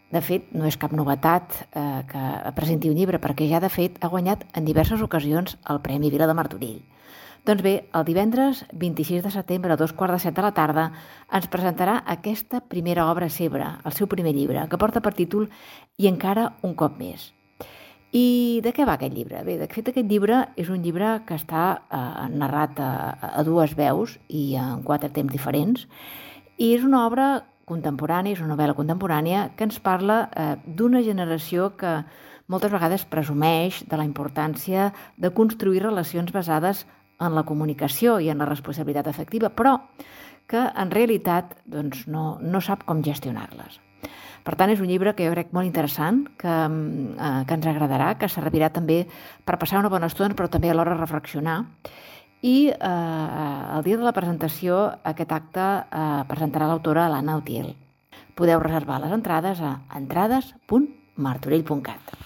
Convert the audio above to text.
De fet, no és cap novetat que presenti un llibre, perquè ja, de fet, ha guanyat en diverses ocasions el Premi Vila de Martorell. Doncs bé, el divendres 26 de setembre a 2:15 de la tarda ens presentarà aquesta primera obra seva, el seu primer llibre, que porta per títol I encara un cop més. I de què va aquest llibre? Bé, de fet, aquest llibre és un llibre que està narrat a dues veus i en 4 temps diferents, i és una obra contemporània, és una novel·la contemporània que ens parla d'una generació que moltes vegades presumeix de la importància de construir relacions basades en la comunicació i en la responsabilitat afectiva, però que en realitat no sap com gestionar-les. Per tant, és un llibre que jo crec molt interessant, que ens agradarà, que servirà també per passar una bona estona, però també alhora reflexionar. I el dia de la presentació, aquest acte presentarà l'autora l'Anna Utiel. Podeu reservar les entrades a entrades.martorell.cat.